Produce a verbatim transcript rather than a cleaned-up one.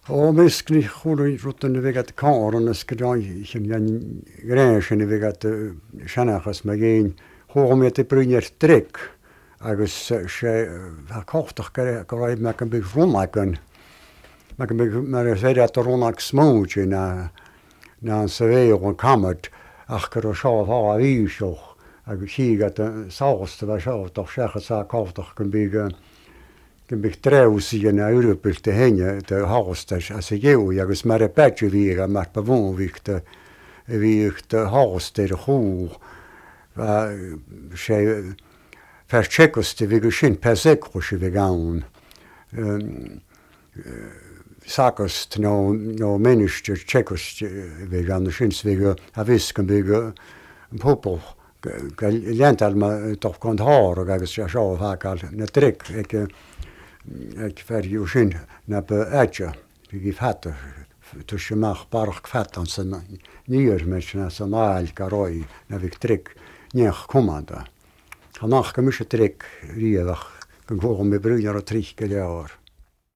O miskni hulu rutten vegat karen skadai jan gräschen vegat shanachas magin hoormete brunjer trek agus se kochtach garaib me kan big romaken me kan big mer seidir at ronak smooch na na severe on kamet ach kar sjá ha vísoch agus higat sauste var sjá doch sjá sa kochtach kan big kan big treus i na Europel te henge te haastas as eu ja gus mer patje viga mer bewoonwichte wichte haaster ho se verchekoste vi shin persekroche vegan sakost no no menneske chekost vegan shinsvege a vis kan bygge popel lental ma toch kan har og agus ja sjå hakal na trek ek ek fer jo shin na be atja vi gif hatte tussen mag park fat aan zijn nier met na sanaal karoi na victrik nier komanda. Hanach kemusje trek riedag kan gewoon met broer trich jaar.